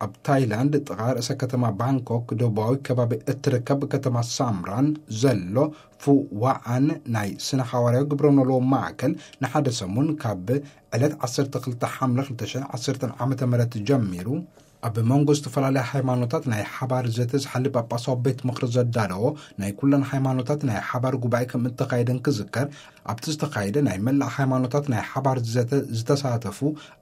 ኣብ ታይላንድ ጥቓ ርእሰ ከተማ ባንኮክ ደቡባዊ ከባቢ እትርከብ ከተማ ሳምራን ዘሎ ፉዋኣን ናይ ስነ ሓዋርያዊ ግብረ ኖልዎ ማእከል ንሓደ ሰሙን ካብ ዕለት ዓሰርተ ክልተ ሓምለ ክልተ ሽሕን ዓሰርተን ዓመተ ምህረት ጀሚሩ ኣብ መንጎ ዝተፈላለያ ሃይማኖታት ናይ ሓባር ዘተ ዝሓሊ ጳጳሳዊ ቤት ምኽሪ ዘዳለዎ ናይ ኩለን ሃይማኖታት ናይ ሓባር ጉባኤ ከም እተኻየደን ክዝከር፣ ኣብቲ ዝተኻየደ ናይ መላእ ሃይማኖታት ናይ ሓባር ዘተ ዝተሳተፉ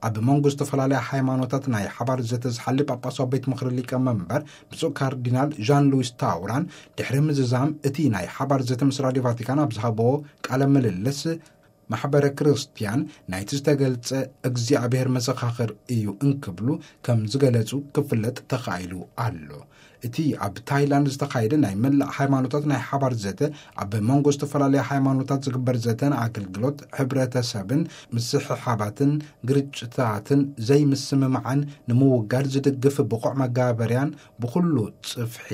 ኣብ መንጎ ዝተፈላለያ ሃይማኖታት ናይ ሓባር ዘተ ዝሓሊ ጳጳሳዊ ቤት ምኽሪ ሊቀ መንበር ብፁዕ ካርዲናል ዣን ሉዊስ ታውራን ድሕሪ ምዝዛም እቲ ናይ ሓባር ዘተ ምስ ራድዮ ቫቲካን ኣብ ዝሃብዎ ቃለ ምልልስ፣ ማሕበረ ክርስትያን ናይቲ ዝተገልጸ እግዚኣብሔር መሰኻኽር እዩ እንክብሉ ከም ዝገለጹ ክፍለጥ ተኻኢሉ ኣሎ። እቲ ኣብ ታይላንድ ዝተኻየደ ናይ መላእ ሃይማኖታት ናይ ሓባር ዘተ፣ ኣብ መንጎ ዝተፈላለያ ሃይማኖታት ዝግበር ዘተን ኣገልግሎት ሕብረተሰብን ምስሕሓባትን ግርጭታትን ዘይምስምማዕን ንምውጋድ ዝድግፍ ብቑዕ መጋበርያን ብኹሉ ጽፍሒ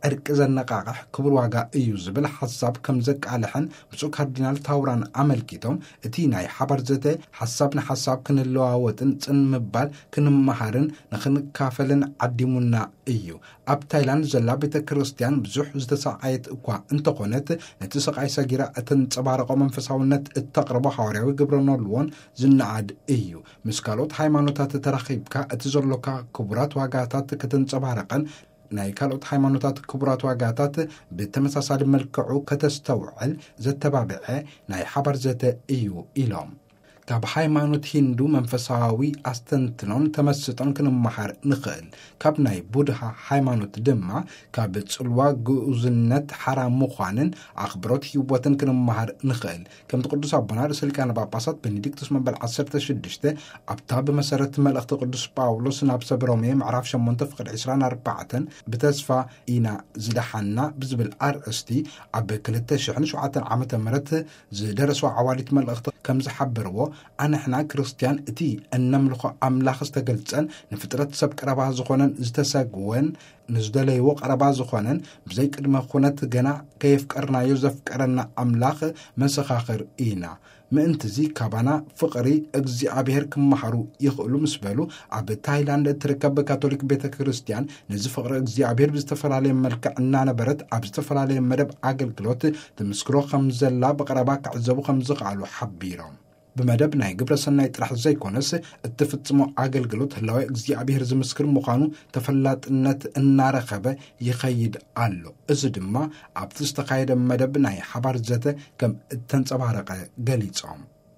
ዕርቂ ዘነቃቕሕ ክቡር ዋጋ እዩ ዝብል ሓሳብ ከም ዘቃልሐን ብፁዕ ካርዲናል ታውራን ኣመልኪቶም፣ እቲ ናይ ሓባር ዘተ ሓሳብ ንሓሳብ ክንለዋወጥን ጽን ምባል ክንመሃርን ንኽንካፈልን ዓዲሙና እዩ። ኣብ ታይላንድ ዘላ ቤተ ክርስቲያን ብዙሕ ዝተሰዓየት እኳ እንተኾነት፣ ነቲ ስቓይ ሰጊራ እተንጸባረቖ መንፈሳውነት እተቕርቦ ሓዋርያዊ ግብረ ኖልዎን ዝነኣድ እዩ። ምስ ካልኦት ሃይማኖታት ተራኺብካ እቲ ዘሎካ ክቡራት ዋጋታት ከተንጸባርቕን ናይ ካልኦት ሃይማኖታት ክቡራት ዋጋታት ብተመሳሳሊ መልክዑ ከተስተውዕል ዘተባብዐ ናይ ሓባር ዘተ እዩ ኢሎም። ካብ ሃይማኖት ሂንዱ መንፈሳዊ ኣስተንትኖን ተመስጦን ክንመሃር ንኽእል። ካብ ናይ ቡድሃ ሃይማኖት ድማ ካብ ጽልዋ ግኡዝነት ሓራ ምዃንን ኣኽብሮት ህይወትን ክንመሃር ንኽእል። ከምቲ ቅዱስ ኣቦና ርእሰ ሊቃነ ጳጳሳት ቤኔዲክቱስ መበል ዓሰርተ ሽዱሽተ ኣብታ ብመሰረት መልእኽቲ ቅዱስ ጳውሎስ ናብ ሰብ ሮሜ ምዕራፍ ሸሞንተ ፍቕዲ ዕስራን ኣርባዕተን ብተስፋ ኢና ዝደሓንና ብዝብል ኣርእስቲ ኣብ ክልተ ሽሕን ሸውዓተን ዓመተ ምህረት ዝደረስዎ ዓዋዲት መልእኽቲ ከም ዝሓበርዎ፣ ኣንሕና ክርስትያን እቲ እነምልኾ ኣምላኽ ዝተገልጸን ንፍጥረት ሰብ ቀረባ ዝኾነን ዝተሰግወን ንዝደለይዎ ቀረባ ዝኾነን ብዘይ ቅድመ ኩነት ገና ከየፍቀርናዮ ዘፍቀረና ኣምላኽ መሰኻኽር ኢና። ምእንትዚ ካባና ፍቕሪ እግዚኣብሔር ክመሃሩ ይኽእሉ ምስ በሉ፣ ኣብ ታይላንድ እትርከብ ካቶሊክ ቤተ ክርስቲያን ነዚ ፍቕሪ እግዚኣብሔር ብዝተፈላለየ መልክዕ እናነበረት ኣብ ዝተፈላለየ መደብ ኣገልግሎት ትምስክሮ ከም ዘላ ብቐረባ ክዕዘቡ ከም ዝኸኣሉ ሓቢሮም። ብመደብ ናይ ግብረ ሰናይ ጥራሕ ዘይኮነስ እትፍጽሞ ኣገልግሎት ህላዌ እግዚኣብሔር ዝምስክር ምዃኑ ተፈላጥነት እናረኸበ ይኸይድ ኣሎ። እዚ ድማ ኣብቲ ዝተኻየደ መደብ ናይ ሓባር ዘተ ከም እተንጸባረቐ ገሊጾም።